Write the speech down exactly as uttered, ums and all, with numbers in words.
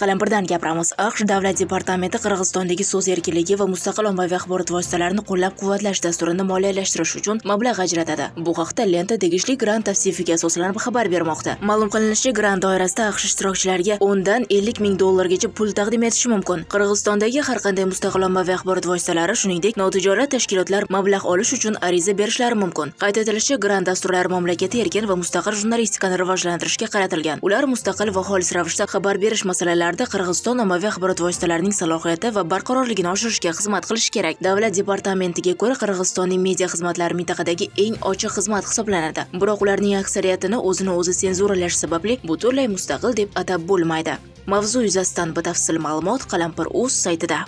Qalampirdan gapiramiz. A Q Sh Davlat departamenti Qirg'izistondagi so'z erkinligi va mustaqil ommaviy axborot vositalarini qo'llab-quvvatlash dasturini moliyalashtirish uchun mablag' ajratadi. Bu haqda Lenta tegishli grant tavsifiga asoslanib xabar bermoqda. Ma'lum qilinishicha, grant doirasida A Q Sh ishtirokchilariga o'n dan ellik ming dollargacha pul taqdim etishi mumkin. Qirg'izistondagi har qanday mustaqil ommaviy axborot vositalari, shuningdek, notijorat tashkilotlar mablag' olish uchun ariza berishlari mumkin. Qayd etilishicha, grant dasturlari mamlakatda erkin va mustaqil jurnalistikani rivojlantirishga qaratilgan. Ular mustaqil va xolis ravishda xabar berish masalalarida Qirg'iziston ommaviy axborot vositalarining salohiyati va barqarorligini oshirishga xizmat qilishi kerak. Davlat departamentiga ko'ra, Qirg'izistonning media xizmatlari mintaqadagi eng ochiq xizmat hisoblanadi. Biroq ularning aksariyatini o'zini o'zi senzuralash sababli butunlay mustaqil deb atab bo'lmaydi. Mavzu yuzasidan batafsil ma'lumot Qalampir uz saytida.